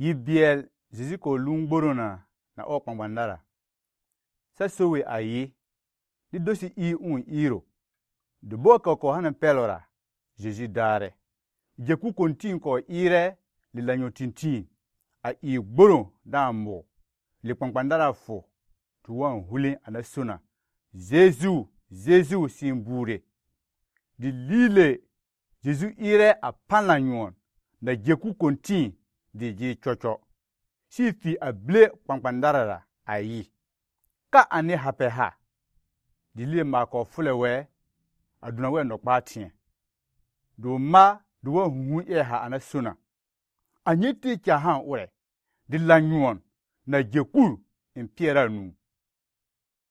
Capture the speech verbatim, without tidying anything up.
Yibiel Jésus ko lungborona na o kpangbandara. Sa sowe ayi. Di dosi i un iro. De boka ko hanan pelora. Jésus dare. Jeku kontin ko ire li lanyo tintin. A i gboro da mo. Li kpangbandara fo. Tuwan hulin anasona. Jésus, Jésus simbure. Di lile Jésus ire a panlanyon. Na jeku kontin di je chocho. Si fi a ble kpangbandarara ayi. Ka ane hape ha. Di lile ma ko fulewe. Aduna we no patien. Do ma duwa hunhun e ha anasona. Anyeti kya han ure. Di lanyon na jeku in piera nu.